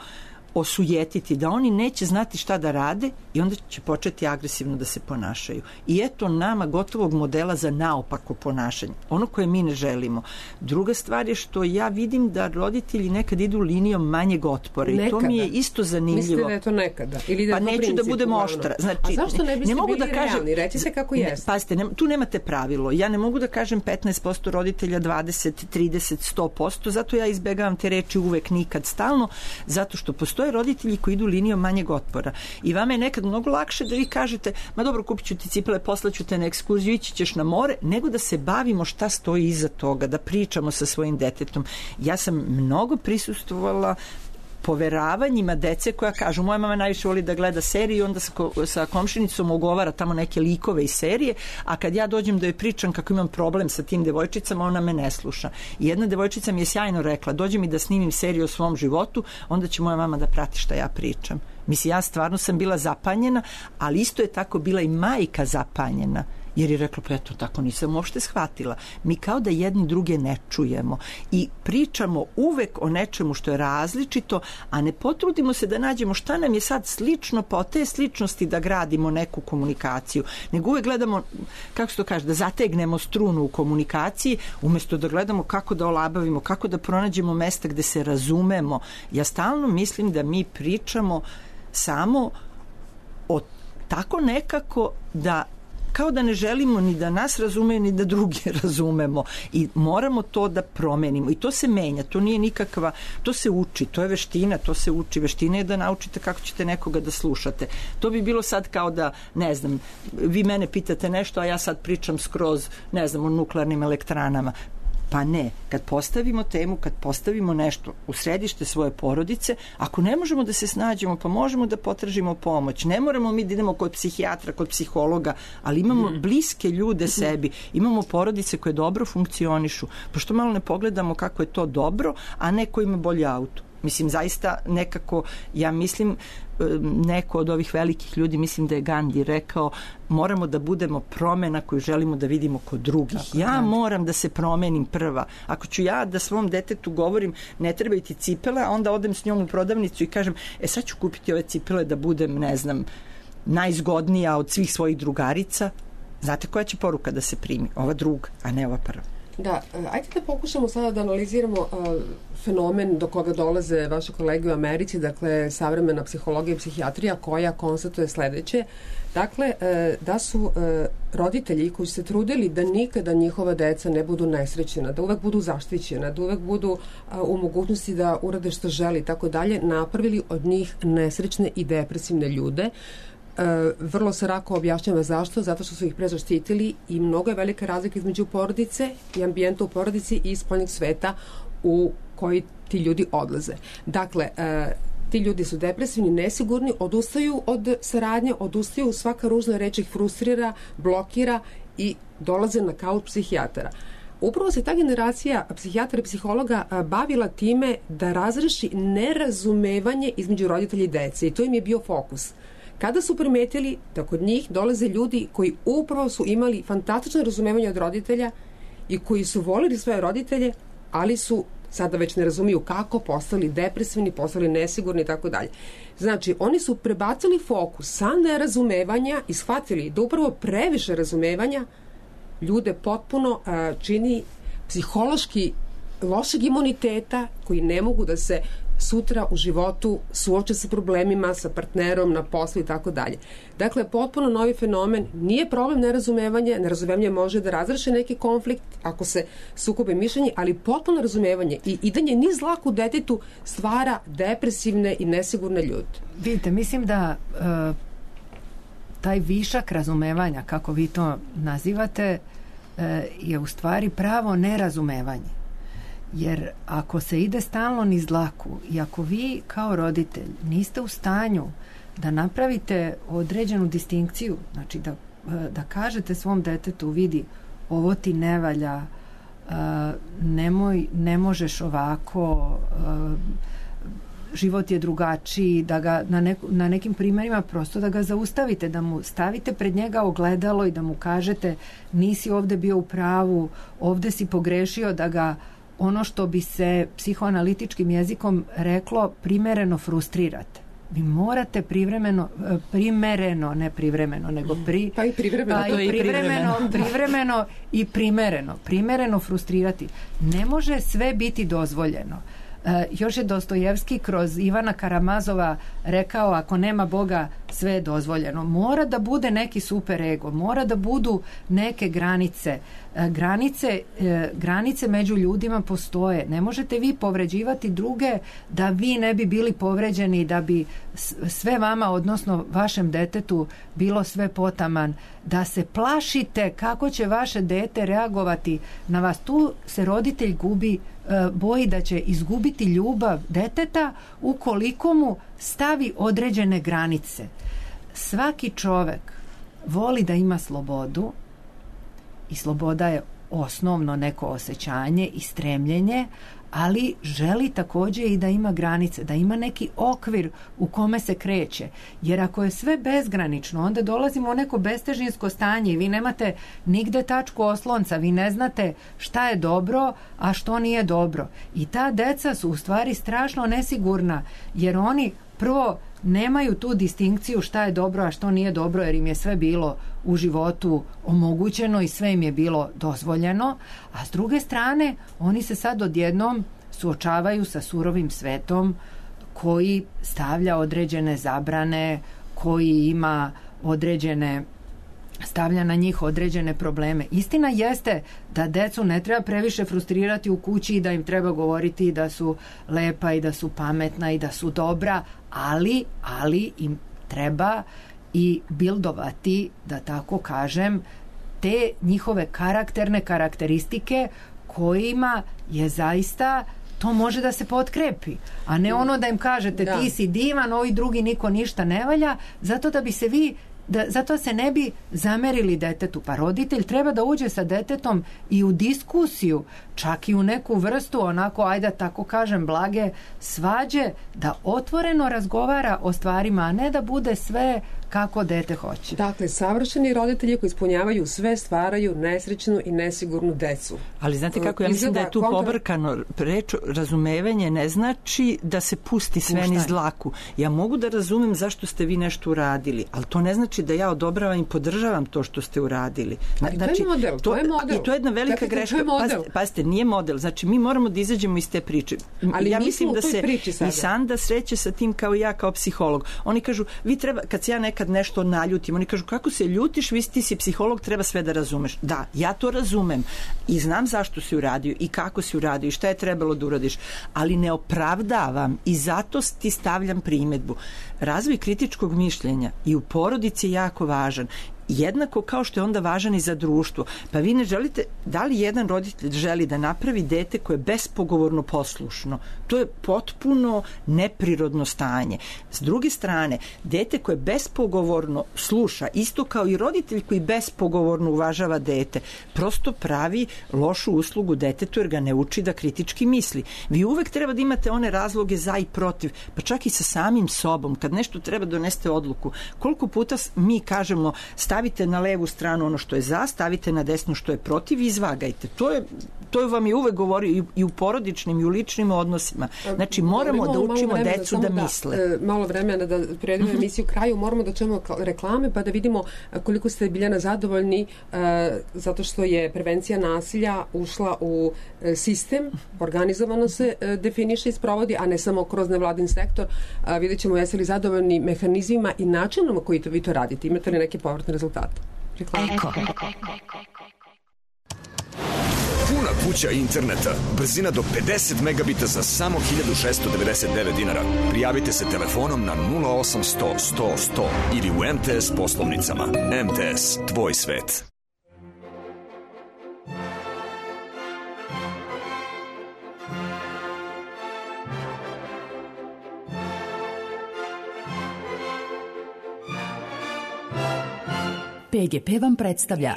osujetiti da oni neće znati šta da rade i onda će početi agresivno da se ponašaju. I eto nama gotovog modela za naopako ponašanje. Ono koje mi ne želimo. Druga stvar je što ja vidim da roditelji nekad idu linijom manjeg otpora. I to mi je isto zanimljivo. Mislite da je to nekada? Ili da je pa neću princip, da budem oštra. Znači, a zašto ne biste bili realni? Recite kako jeste. Pazite, tu nemate pravilo. Ja ne mogu da kažem 15% roditelja, 20, 30, 100%. Zato ja izbegavam te reči uvek, nikad, stalno. Zato što postoje roditelji koji idu linijom manjeg otpora. I vama je nekad mnogo lakše da vi kažete, ma dobro, kupit ću ti cipele, poslaću te na ekskurziju, ići ćeš na more, nego da se bavimo šta stoji iza toga, da pričamo sa svojim detetom. Ja sam mnogo prisustvovala poveravanjima dece koja kažu, moja mama najviše voli da gleda seriju i onda sa komšinicom ugovara tamo neke likove iz serije, a kad ja dođem da joj pričam kako imam problem sa tim devojčicama, ona me ne sluša. I jedna devojčica mi je sjajno rekla, dođe mi da snimim seriju o svom životu, onda će moja mama da prati šta ja pričam. Mislim, ja stvarno sam bila zapanjena, ali isto je tako bila i majka zapanjena. Jer je rekla, pa eto, tako nisam uopšte shvatila. Mi kao da jedni druge ne čujemo i pričamo uvek o nečemu što je različito, a ne potrudimo se da nađemo šta nam je sad slično, pa od te sličnosti da gradimo neku komunikaciju. Nego uvek gledamo, kako se to kaže, da zategnemo strunu u komunikaciji, umjesto da gledamo kako da olabavimo, kako da pronađemo mesta gde se razumemo. Ja stalno mislim da mi pričamo samo o tako nekako da kao da ne želimo ni da nas razumeju, ni da drugi razumemo. I moramo to da promenimo. I to se menja, to nije nikakva, to se uči, to je veština, to se uči. Veština je da naučite kako ćete nekoga da slušate. To bi bilo sad kao da, ne znam, vi mene pitate nešto, a ja sad pričam skroz, ne znam, o nuklearnim elektranama. Pa ne, kad postavimo temu, kad postavimo nešto u središte svoje porodice, ako ne možemo da se snađemo, pa možemo da potražimo pomoć. Ne moramo mi da idemo kod psihijatra, kod psihologa, ali imamo bliske ljude sebi, imamo porodice koje dobro funkcionišu. Pa što malo ne pogledamo kako je to dobro, a neko ima bolji auto. Mislim, zaista nekako, ja mislim, neko od ovih velikih ljudi, mislim da je Gandhi rekao, moramo da budemo promena koju želimo da vidimo kod drugih. Tako, ja moram da se promenim prva. Ako ću ja da svom detetu govorim ne trebaju ti cipele, a onda odem s njom u prodavnicu i kažem, sad ću kupiti ove cipele da budem, ne znam, najzgodnija od svih svojih drugarica. Znate koja će poruka da se primi? Ova druga, a ne ova prva. Da, ajde da pokušamo sada da analiziramo fenomen do koga dolaze vaše kolege u Americi, dakle savremena psihologija i psihijatrija koja konstatuje sledeće. Dakle, da su roditelji koji su se trudili da nikada njihova deca ne budu nesrećena, da uvek budu zaštićena, da uvek budu u mogućnosti da urade što želi i tako dalje, napravili od njih nesrećne i depresivne ljude. Vrlo se rako objašnjava zašto, zato što su ih prezaštitili i mnogo je velika razlika između porodice i ambijenta u porodici i spoljnog sveta u koji ti ljudi odlaze. Dakle, ti ljudi su depresivni, nesigurni, odustaju od saradnje, odustaju, svaka ružna reč ih frustrira, blokira i dolaze na kauč psihijatara. Upravo se ta generacija psihijatara i psihologa bavila time da razreši nerazumevanje između roditelja i dece i to im je bio fokus. Kada su primetili da kod njih dolaze ljudi koji upravo su imali fantastično razumevanje od roditelja i koji su volili svoje roditelje, ali su sada već ne razumiju kako, postali depresivni, postali nesigurni i tako dalje. Znači, oni su prebacili fokus sa nerazumevanja i shvatili da upravo previše razumevanja ljude potpuno čini psihološki lošeg imuniteta koji ne mogu da se sutra u životu suoče sa problemima, sa partnerom, na poslu i tako dalje. Dakle, potpuno novi fenomen, nije problem nerazumevanje, nerazumevanje može da razreši neki konflikt ako se sukobe mišljenje, ali potpuno razumevanje i idanje niz laku detetu stvara depresivne i nesigurne ljude. Vidite, mislim da taj višak razumevanja, kako vi to nazivate, je u stvari pravo nerazumevanje. Jer ako se ide stalno niz dlaku i ako vi kao roditelj niste u stanju da napravite određenu distinkciju, znači da kažete svom detetu, vidi, ovo ti ne valja, ne možeš ovako, život je drugačiji, da ga na nekim primjerima prosto da ga zaustavite, da mu stavite pred njega ogledalo i da mu kažete nisi ovde bio u pravu, ovde si pogrešio, da ga ono što bi se psihoanalitičkim jezikom reklo primereno frustrirate. Vi morate primereno, ne privremeno, nego primereno frustrirati. Ne može sve biti dozvoljeno. Još je Dostojevski kroz Ivana Karamazova rekao, ako nema Boga, sve je dozvoljeno. Mora da bude neki super ego, mora da budu neke granice. Granice među ljudima postoje. Ne možete vi povređivati druge da vi ne bi bili povređeni, da bi sve vama, odnosno vašem detetu, bilo sve potaman, da se plašite kako će vaše dete reagovati na vas. Tu se roditelj boji da će izgubiti ljubav deteta ukoliko mu stavi određene granice. Svaki čovek voli da ima slobodu i sloboda je osnovno neko osjećanje i stremljenje, ali želi takođe i da ima granice, da ima neki okvir u kome se kreće. Jer ako je sve bezgranično, onda dolazimo u neko bestežinsko stanje i vi nemate nigde tačku oslonca, vi ne znate šta je dobro, a što nije dobro. I ta deca su u stvari strašno nesigurna, jer oni prvo nemaju tu distinkciju šta je dobro, a što nije dobro, jer im je sve bilo u životu omogućeno i sve im je bilo dozvoljeno, a s druge strane oni se sad odjednom suočavaju sa surovim svetom koji stavlja određene zabrane, koji ima stavlja na njih određene probleme. Istina jeste da decu ne treba previše frustrirati u kući i da im treba govoriti da su lepa i da su pametna i da su dobra, ali im treba i bildovati, da tako kažem, te njihove karakterne karakteristike kojima je zaista to može da se potkrepi, a ne ono da im kažete ti si divan, ovi drugi niko ništa ne valja, zato da bi se vi zato se ne bi zamerili detetu. Pa roditelj treba da uđe sa detetom i u diskusiju, čak i u neku vrstu onako, ajde tako kažem, blage svađe, da otvoreno razgovara o stvarima, a ne da bude sve kako dete hoće. Dakle, savršeni roditelji koji ispunjavaju sve stvaraju nesrećnu i nesigurnu decu. Ali znate kako, ja mislim da je tu pobrkano. Reč razumevanje ne znači da se pusti sve niz dlaku. Ja mogu da razumem zašto ste vi nešto uradili, ali to ne znači da ja odobravam i podržavam to što ste uradili. Ali to je model. To je model. I to je jedna velika greška. Pazite, nije model. Znači, mi moramo da izađemo iz te priče. Ali ja mi mislim smo da u toj se priči sada. i Sanda sreće sa tim kao ja, kao psiholog. Oni kažu, vi treba, kad se ja nekad nešto naljutim, oni kažu, kako se ljutiš, ti si psiholog, treba sve da razumeš. Da, ja to razumem i znam zašto si uradio i kako si uradio i šta je trebalo da uradiš, ali ne opravdavam i zato ti stavljam primedbu. Razvoj kritičkog mišljenja i u porodici je jako važan. Jednako kao što je onda važan i za društvo. Pa vi ne želite, da li jedan roditelj želi da napravi dete koje je bespogovorno poslušno? To je potpuno neprirodno stanje. S druge strane, dete koje bespogovorno sluša, isto kao i roditelj koji bespogovorno uvažava dete, prosto pravi lošu uslugu detetu jer ga ne uči da kritički misli. Vi uvek treba da imate one razloge za i protiv, pa čak i sa samim sobom. Kad nešto treba doneste odluku, koliko puta mi kažemo stavite na levu stranu ono što je za, stavite na desnu što je protiv i izvagajte. To vam je uvek govorio i u porodičnim i u ličnim odnosima. Znači, moramo da učimo decu da misle. Malo vremena da prevedemo emisiju kraju, moramo da čujemo reklame pa da vidimo koliko ste, Biljana, zadovoljni zato što je prevencija nasilja ušla u sistem, organizovano se definiše i sprovodi, a ne samo kroz nevladin sektor. Vidjet ćemo jeste li zadovoljni mehanizmima i načinom koji vi to radite. Imate li neke povratne rezultate? Eko. Puna kuća interneta, brzina do 50 megabita za samo 1699 dinara. Prijavite se telefonom na 0800 100 100 ili u MTS poslovnicama. MTS, tvoj svet. PGP vam predstavlja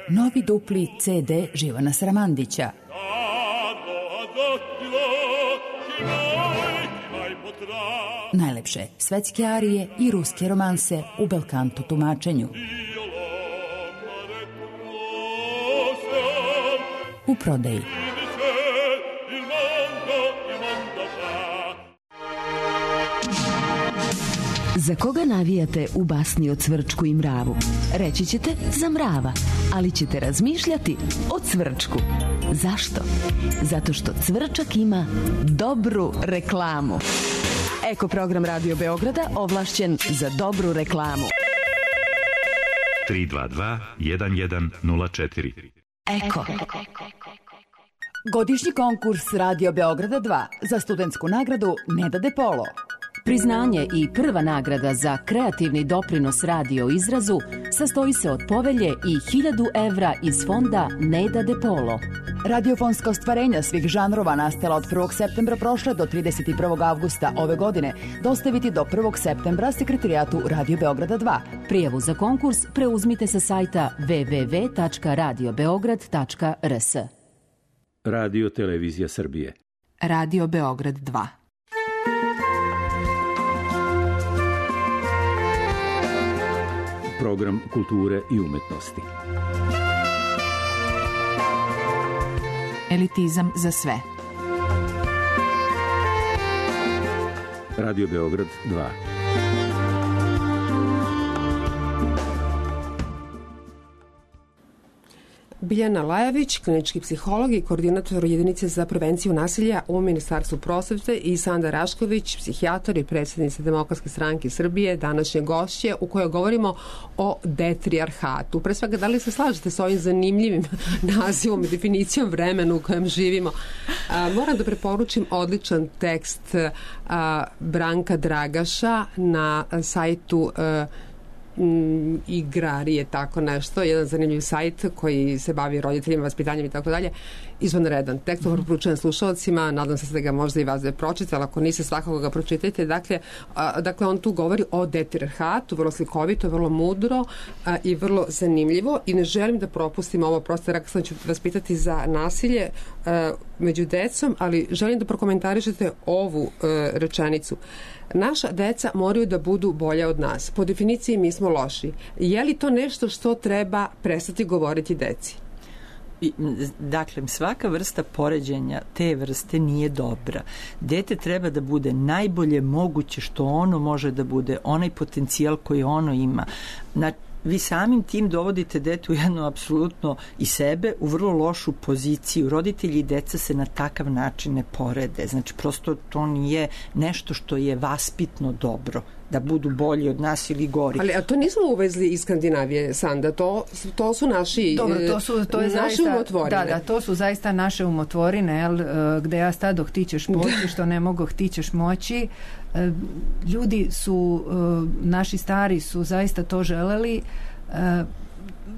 novi dupli CD Živana Sramandića. Najlepše svetske arije i ruske romanse u belkanto tumačenju. U prodaji. Za koga navijate u basni o Cvrčku i mravu? Reći ćete za mrava, ali ćete razmišljati o Cvrčku. Zašto? Zato što Cvrčak ima dobru reklamu. Eko program Radio Beograda ovlašćen za dobru reklamu. 322 1104. Eko. Godišnji konkurs Radio Beograda 2 za studentsku nagradu Neda De Polo. Priznanje i prva nagrada za kreativni doprinos radio izrazu sastoji se od povelje i 1000 evra iz fonda Neda De Polo. Radiofonska ostvarenja svih žanrova nastala od 1. septembra prošle do 31. avgusta ove godine dostaviti do 1. septembra sekretarijatu Radio Beograda 2. Prijavu za konkurs preuzmite sa sajta www.radiobeograd.rs. Radio Televizija Srbije. Radio Beograd 2. Program kulture i umetnosti. Elitizam za sve. Radio Beograd 2. Biljana Lajović, klinički psiholog i koordinator jedinice za prevenciju nasilja u Ministarstvu prosvete i Sanda Rašković, psihijatar i predsjednica Demokratske stranke Srbije, današnje gošće u kojoj govorimo o detrijarhatu. Pre svega, da li se slažete sa ovim zanimljivim nazivom i definicijom vremena u kojem živimo? Moram da preporučim odličan tekst Branka Dragaša na sajtu igrarije, tako nešto, jedan zanimljiv sajt koji se bavi roditeljima, vaspitanjem i tako dalje, izvanredan. Tekst preporučujem slušalcima, nadam se da ga možda i vas da pročite, ali ako niste, svakako ga pročitajte. Dakle, on tu govori o detirhatu, vrlo slikovito, vrlo mudro i vrlo zanimljivo, i ne želim da propustim ovo, prosto rekao sam ću vas pitati za nasilje među decom, ali želim da prokomentarišete ovu rečenicu. Naša deca moraju da budu bolja od nas. Po definiciji mi smo loši. Je li to nešto što treba prestati govoriti deci? Dakle, svaka vrsta poređenja te vrste nije dobra. Dete treba da bude najbolje moguće što ono može da bude, onaj potencijal koji ono ima. Vi samim tim dovodite dete u jednu apsolutno i sebe u vrlo lošu poziciju. Roditelji i deca se na takav način ne porede. Znači, prosto to nije nešto što je vaspitno dobro, da budu bolji od nas ili gori. Ali to nismo uvezli iz Skandinavije, Sanda, to su naši naše umotvorine. Da, to su zaista naše umotvorine, gde ja stadoh ti ćeš poći, što ne mogu ti ćeš moći. Ljudi su, naši stari su zaista to želeli.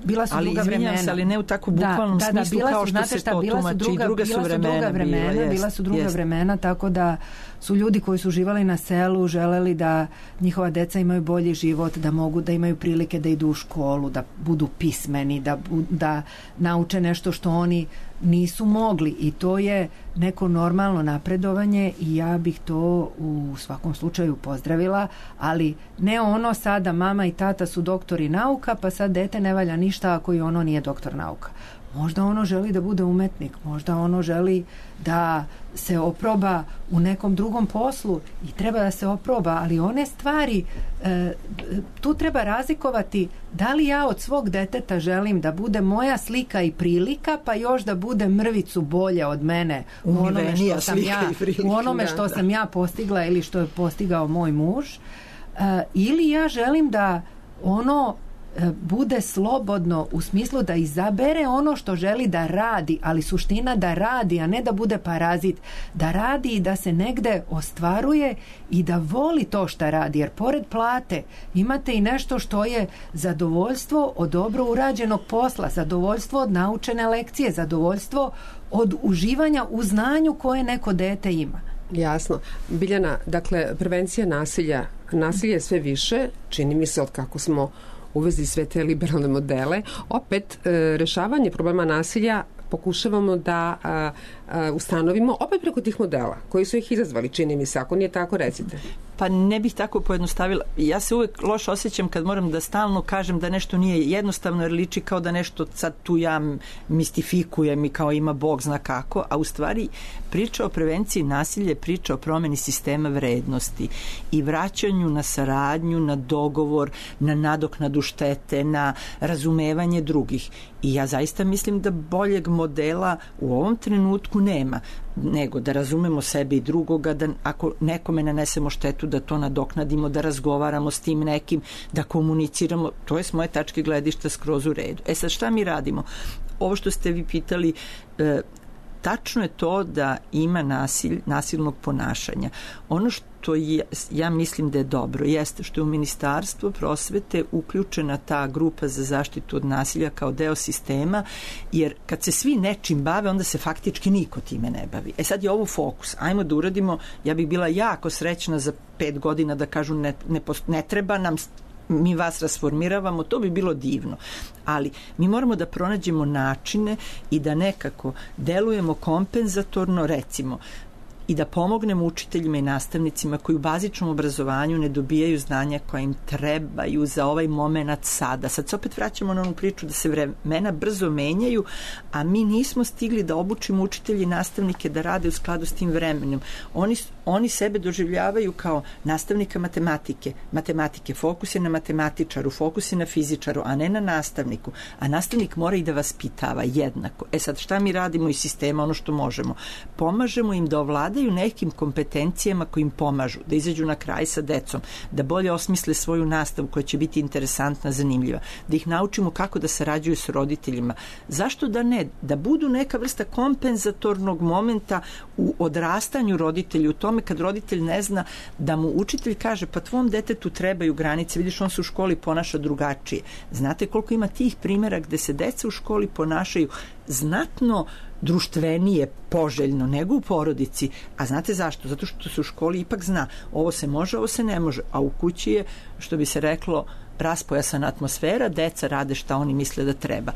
Bila su druga vremena. Ali ne u tako bukvalnom smislu kao što se to tumači. Druga su vremena. Bila su druga vremena, tako da su ljudi koji su živali na selu želeli da njihova deca imaju bolji život, da mogu da imaju prilike da idu u školu, da budu pismeni, da nauče nešto što oni nisu mogli, i to je neko normalno napredovanje i ja bih to u svakom slučaju pozdravila, ali ne ono sada mama i tata su doktori nauka pa sad dete ne valja ništa ako i ono nije doktor nauka. Možda ono želi da bude umetnik, možda ono želi da se oproba u nekom drugom poslu i treba da se oproba, ali one stvari tu treba razlikovati da li ja od svog deteta želim da bude moja slika i prilika, pa još da bude mrvicu bolje od mene u onome što sam ja postigla ili što je postigao moj muž, ili ja želim da ono bude slobodno u smislu da izabere ono što želi da radi, ali suština da radi, a ne da bude parazit, da radi i da se negde ostvaruje i da voli to šta radi, jer pored plate imate i nešto što je zadovoljstvo od dobro urađenog posla, zadovoljstvo od naučene lekcije, zadovoljstvo od uživanja u znanju koje neko dete ima. Jasno. Biljana, dakle, prevencija nasilja, nasilje je sve više, čini mi se od kako smo uvezi sve te liberalne modele. Opet, rešavanje problema nasilja pokušavamo da ustanovimo opet preko tih modela koji su ih izazvali, čini mi se. Ako nije tako, recite. Pa ne bih tako pojednostavila. Ja se uvek loše osjećam kad moram da stalno kažem da nešto nije jednostavno, jer liči kao da nešto sad tu ja mistifikujem i kao ima Bog zna kako, a u stvari priča o prevenciji nasilja je priča o promeni sistema vrednosti i vraćanju na saradnju, na dogovor, na nadoknadu štete, na razumevanje drugih. I ja zaista mislim da boljeg modela u ovom trenutku nema, nego da razumemo sebe i drugoga, da ako nekome nanesemo štetu da to nadoknadimo, da razgovaramo s tim nekim, da komuniciramo. To je s moje tačke gledišta skroz u redu. Sad šta mi radimo? Ovo što ste vi pitali, tačno je to da ima nasilnog ponašanja. Ono što ja mislim da je dobro jeste što je u Ministarstvo prosvete uključena ta grupa za zaštitu od nasilja kao deo sistema, jer kad se svi nečim bave, onda se faktički niko time ne bavi. Sad je ovo fokus. Ajmo da uradimo, ja bih bila jako srećna za 5 godina da kažu ne treba nam, mi vas rasformiravamo, to bi bilo divno. Ali mi moramo da pronađemo načine i da nekako delujemo kompenzatorno, recimo, i da pomognemo učiteljima i nastavnicima koji u bazičnom obrazovanju ne dobijaju znanja koja im trebaju za ovaj moment sada. Sad se opet vraćamo na onu priču da se vremena brzo menjaju, a mi nismo stigli da obučimo učitelji i nastavnike da rade u skladu s tim vremenom. Oni sebe doživljavaju kao nastavnika matematike. Fokus je na matematičaru, fokus je na fizičaru, a ne na nastavniku. A nastavnik mora i da vaspitava jednako. Sad šta mi radimo iz sistema? Ono što možemo. Pomažemo im da ovladaju nekim kompetencijama koji im pomažu, da izađu na kraj sa decom, da bolje osmisle svoju nastavu koja će biti interesantna, zanimljiva, da ih naučimo kako da sarađuju s roditeljima. Zašto da ne? Da budu neka vrsta kompenzatornog momenta u odrastanju roditelja, u tom tome kad roditelj ne zna da mu učitelj kaže pa tvom detetu trebaju granice, vidiš on se u školi ponaša drugačije. Znate koliko ima tih primjera gde se deca u školi ponašaju znatno društvenije, poželjno nego u porodici. A znate zašto? Zato što se u školi ipak zna ovo se može, ovo se ne može. A u kući je, što bi se reklo, raspojasana atmosfera, deca rade šta oni misle da treba.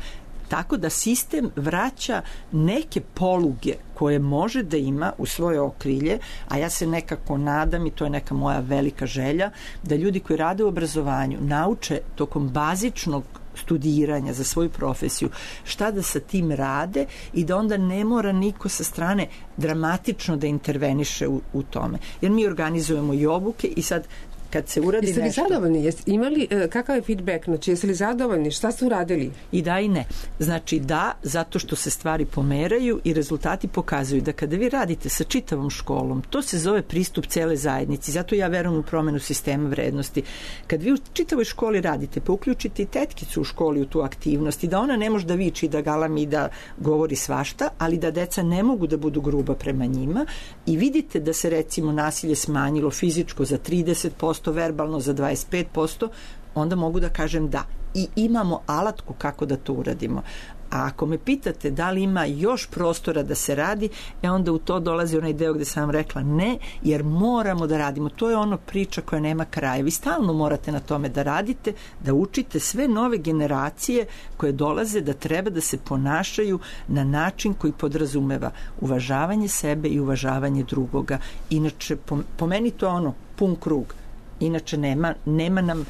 Tako da sistem vraća neke poluge koje može da ima u svoje okrilje, a ja se nekako nadam i to je neka moja velika želja, da ljudi koji rade u obrazovanju nauče tokom bazičnog studiranja za svoju profesiju šta da sa tim rade i da onda ne mora niko sa strane dramatično da interveniše u tome. Jer mi organizujemo i obuke i sad kad se uradi nešto... Jeste li zadovoljni? Jeste imali kakav je feedback? Znači, jeste li zadovoljni? Šta ste uradili? I da i ne. Znači da, zato što se stvari pomeraju i rezultati pokazuju da kada vi radite sa čitavom školom, to se zove pristup cele zajednici. Zato ja verujem u promenu sistema vrednosti. Kad vi u čitavoj školi radite, pa uključite i tetkicu u školi u tu aktivnost i da ona ne može da viči, da galami i da govori svašta, ali da deca ne mogu da budu gruba prema njima i vidite da se recimo nasilje smanjilo fizičko za 30%, verbalno za 25%, onda mogu da kažem da. I imamo alatku kako da to uradimo. A ako me pitate da li ima još prostora da se radi, onda u to dolazi onaj deo gde sam vam rekla ne, jer moramo da radimo. To je ono priča koja nema kraja. Vi stalno morate na tome da radite, da učite sve nove generacije koje dolaze da treba da se ponašaju na način koji podrazumeva uvažavanje sebe i uvažavanje drugoga. Inače, po meni to je ono pun krug. Inače nema nam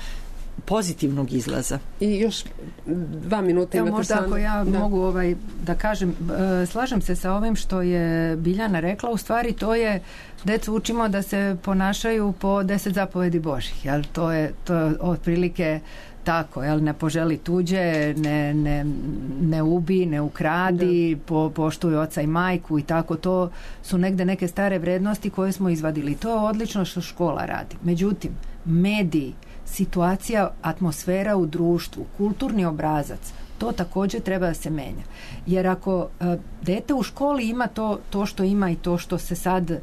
pozitivnog izlaza. I još 2 minuta imate. Možda ako ja mogu da kažem, slažem se sa ovim što je Biljana rekla, u stvari to je, decu učimo da se ponašaju po 10 zapovedi Božih, jel? To je otprilike tako, jel? Ne poželi tuđe, ne ubi, ne ukradi, poštuj oca i majku i tako, to su negde neke stare vrednosti koje smo izvadili. To je odlično što škola radi. Međutim, mediji, situacija, atmosfera u društvu, kulturni obrazac, to također treba da se menja. Jer ako dete u školi ima to što ima i to što se sad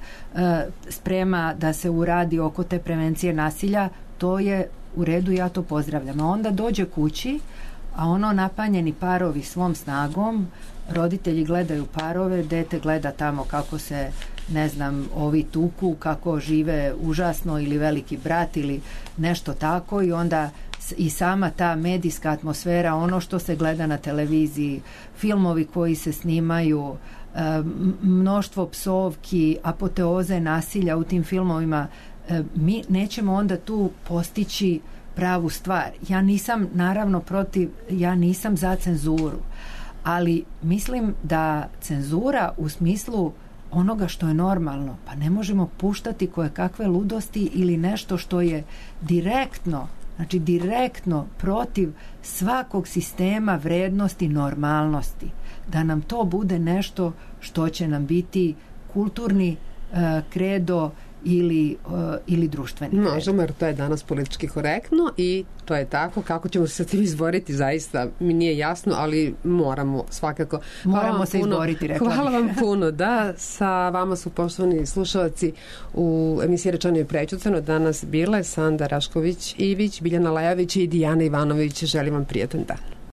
sprema da se uradi oko te prevencije nasilja, to je u redu, ja to pozdravljam. A onda dođe kući, a ono napanjeni parovi svom snagom, roditelji gledaju parove, dete gleda tamo kako se, ne znam, ovi tuku, kako žive užasno ili veliki brat ili nešto tako i onda i sama ta medijska atmosfera, ono što se gleda na televiziji, filmovi koji se snimaju, mnoštvo psovki, apoteoze nasilja u tim filmovima, mi nećemo onda tu postići pravu stvar. Ja nisam naravno protiv, ja nisam za cenzuru, ali mislim da cenzura u smislu onoga što je normalno, pa ne možemo puštati koje kakve ludosti ili nešto što je direktno protiv svakog sistema vrednosti, normalnosti. Da nam to bude nešto što će nam biti kulturni kredo ili društveni. Možemo, jer to je danas politički korektno i to je tako. Kako ćemo se sa tim izboriti, zaista mi nije jasno, ali moramo svakako. Moramo se izboriti, rekla bih. Hvala vam puno. Da, sa vama su poštovani slušalci u emisiji Rečeno i prećutano danas bile Sanda Rašković-Ivić, Biljana Lajović i Dijana Ivanović. Želim vam prijatan dan.